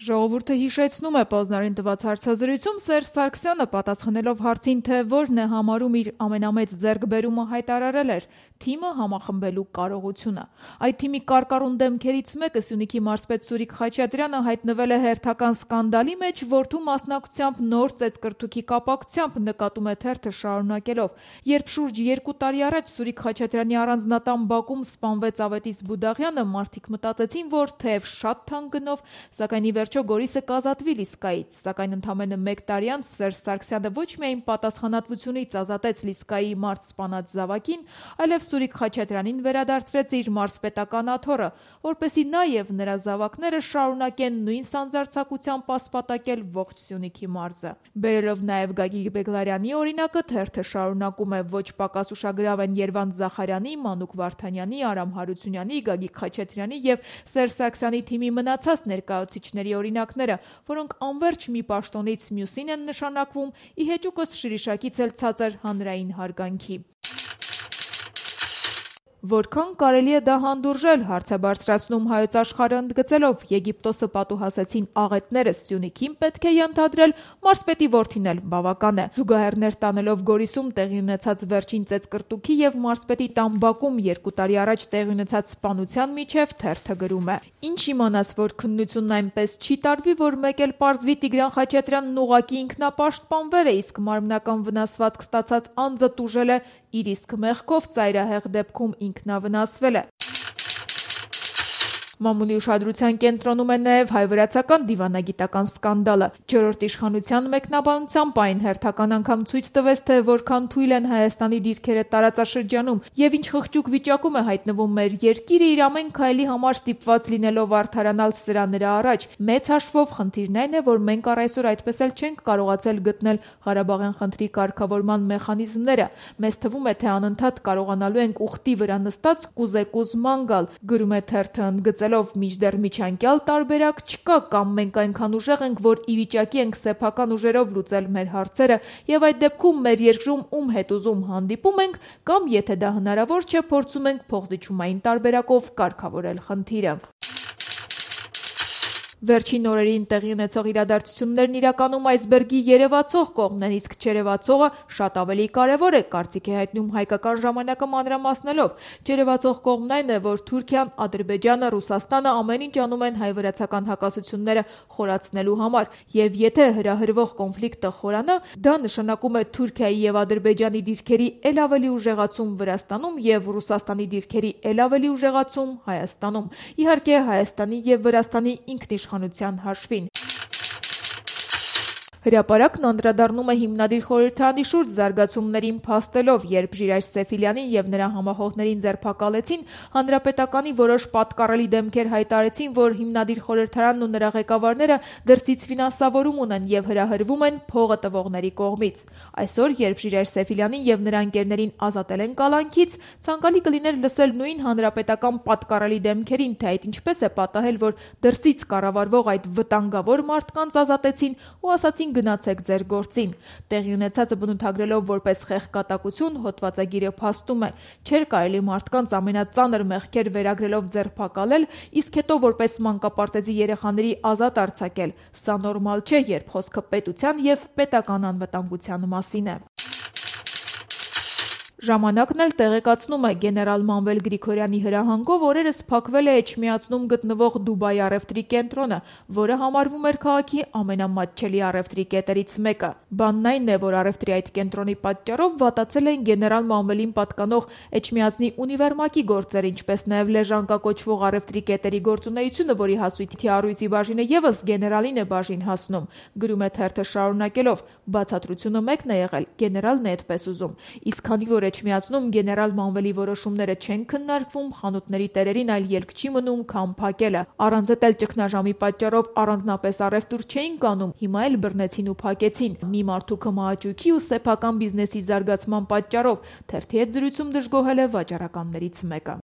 Ժողովուրդը հիշեցնում է Պոզնարին տված հարցազրույցում Սերժ Սարգսյանը պատասխանելով հարցին, թե որն է համարում իր ամենամեծ ձեռքբերումը, հայտարարել էր թիմը համախմբելու կարողությունը։ Այդ թիմի կարկառուն դեմքերից մեկը Սյունիքի մարզպետ Սուրիկ Խաչատրյանը հայտնվել է հերթական սկանդալի մեջ, որդու մասնակցությամբ նոր ծեծկրտուքի կապակցությամբ, նկատում է թերթը շարունակելով։ Երբ շուրջ 2 տարի առաջ Սուրիկ Խաչատրյանի առանձնատան բակում սպանվեց Ավետիս Բուդաղյանը, մարդիկ մտածեցին, որ թեև շատ թանկ գնով, սակայն ի վերջո Գորիսը կազատվի Լիսկայից, սակայն ընդամենը 1 տարի անց Սերժ Սարգսյանը ոչ միայն պատասխանատվությունից ազատեց Լիսկայի մարդ սպանած զավակին, այլև Սուրիկ Խաչատրյանին վերադարձրեց իր մարզպետական աթոռը, որպեսզի նա և նրա զավակները շարունակեն նույն սանձարձակությամբ ասպատակել ողջ Սյունիքի մարզը։ Բերելով նաև Գագիկ Բեգլարյանի օրինակը, թերթը շարունակում է ոչ պակաս ուշագրավ են Երվանդ Զախարյանի, Մանուկ Վարդանյանի, Արամ Հարությունյանի, Գագիկ Խաչատրյանի և Սերժ Սարգսյանի թիմի մնացած ներկայացուցիչների օրինակները, որոնք անվերջ մի պաշտոնից մյուսին են նշանակվում, ի հեճուկս Շիրիշակից էլ ցածր հանրային հարգանքի։ Որքան կարելի է դա հանդուրժել, հարց է բարձրացնում Հայոց Աշխարհը ընդգծելով, Եգիպտոսը պատուհասեցին աղետները, Սյունիքին պետք է ենթադրել, մարզպետի որդին էլ բավական է։ Զուգահեռներ տանելով Գորիսում տեղի ունեցած վերջին ծեծկրտուքի և մարզպետի տան բակում 2 տարի առաջ տեղի ունեցած սպանության միջև թերթը գրում է. Ինչ իմանաս, որ քննությունն այնպես չի տարվի, որ մեկ էլ պարզվի Տիգրան Խաչատրյանն ուղղակի ինքնապաշտպանվել է, իսկ մարմնական վնասվածք ստացած անձը տուժել է իր իսկ մեղքով, ծայրահեղ դեպքում ինքնավնասվել է։ Մամուլի ուշադրության կենտրոնում է նաև հայ-վրացական դիվանագիտական սկանդալը։ Չորրորդ իշխանության մեկնաբանությամբ այն հերթական անգամ ցույց տվեց, թե որքան թույլ են Հայաստանի դիրքերը տարածաշրջանում և ինչ խղճուկ վիճակում է հայտնվում մեր երկիրը իր ամեն քայլի համար ստիպված լինելով արդարանալ սրա նրա առաջ։ Մեծ հաշվով խնդիրն այն է, որ մենք առ այսօր այդպես էլ չենք կարողացել գտնել Ղարաբաղյան խնդրի կարգավորման մեխանիզմները։ Մեզ թվում է, թե անընդհատ կարողանալու ենք ուխտի վրա նստած կուզեկուզման գալ, գրում է թերթը ընդգծելով, մինչդեռ միջանկյալ տարբերակ չկա, կամ մենք այնքան ուժեղ ենք, որ ի վիճակի ենք սեփական ուժերով լուծել մեր հարցերը, եւ այդ դեպքում մեր երկրում ում հետ ուզում հանդիպում ենք, կամ եթե դա հնարավոր չէ, փորձում ենք փոխզիջումային տարբերակով կարգավորել խնդիրը։ Վերջին օրերին տեղի ունեցող իրադարձություններն իրականում այսբերգի երևացող կողմն են, իսկ չերևացողը շատ ավելի կարևոր է, կարծիք է հայտնում հայկական ժամանակը մանրամասնելով։ Չերևացող կողմն այն է, որ Թուրքիան, Ադրբեջանը, Ռուսաստանը ամեն ինչ անում են հայ-վրացական հակասությունները խորացնելու համար, եւ եթե հրահրվող կոնֆլիկտը խորանա, դա նշանակում է Թուրքիայի եւ Ադրբեջանի դիրքերի ել ավելի ուժեղացում Վրաստանում եւ Ռուսաստանի դիրքերի ել ավելի ուժեղացում Հայաստանում։ Իհարկե, Հայաստանի եւ Վրաստանի ինքնիշխանության հաշվին։ Հրապարակն անդրադառնում է հիմնադիր խորհրդարանի շուրջ զարգացումներին փաստելով, երբ Ժիրայր Սեֆիլյանին եւ նրա համախոհներին ձերբակալեցին, հանրապետականի որոշ պատկառելի դեմքեր հայտարարեցին, որ հիմնադիր խորհրդարանն ու նրա ղեկավարները դրսից ֆինանսավորում ունեն եւ հրահրվում են փողը տվողների կողմից։ Այսօր, երբ Ժիրայր Սեֆիլյանին եւ նրա ընկերներին ազատել են կալանքից, ցանկալի կլիներ լսել նույն հանրապետական պատկառելի դեմքերին, թե այդ ինչպես է պատահել, որ դրսից կառավարվող այդ վտանգավոր մարդկանց ազատեցին ու ասացին գնացեք ձեր գործին։ Տեղի ունեցածը բնութագրելով որպես խեղկատակություն, հոդվածագիրը փաստում է. չէր կարելի մարդկանց ամենածանր մեղքեր վերագրելով ձերբակալել, իսկ հետո որպես մանկապարտեզի երեխաների ազատ արձակել։ Սա նորմալ չէ, երբ խոսքը պետության եւ պետական անվտանգության մասին է։ Ժամանակն էլ տեղեկացնում է, գեներալ Մանվել Գրիգորյանի հրահանգով օրերս փակվել է Էջմիածնում գտնվող Դուբայի առևտրի կենտրոնը, որը համարվում էր քաղաքի ամենամատչելի առևտրի կետերից մեկը։ Բանն այն է, որ առևտրի այդ կենտրոնի պատճառով վատացել են գեներալ Մանվելին պատկանող Էջմիածնի ունիվերմակի գործերը, ինչպես նաև Լեժանկա կոչվող առևտրի կետերի գործունեությունը, որի հասույթի առույցի բաժինը եւս գեներալին է բաժին հասնում։ Գրում է թերթը շարունակելով. բացատրությունը մեկն է եղել, գեներալն է այդպես ուզում։ Իսկ քանի որ Էջմիածնում գեներալ Մանվելի որոշումները չեն քննարկվում, խանութների տերերին այլ ելք չի մնում, քան փակելը։ Առանց էլ ճգնաժամի պատճառով առանձնապես առևտուր չէին կանում, հիմա էլ բռնեցին ու փակեցին։ Մի մարդու կմահաճույքի ու սեփական բիզնեսի զարգացման պատճառով թերթի հետ զրույցում դժգոհել է վաճառականներից մեկը։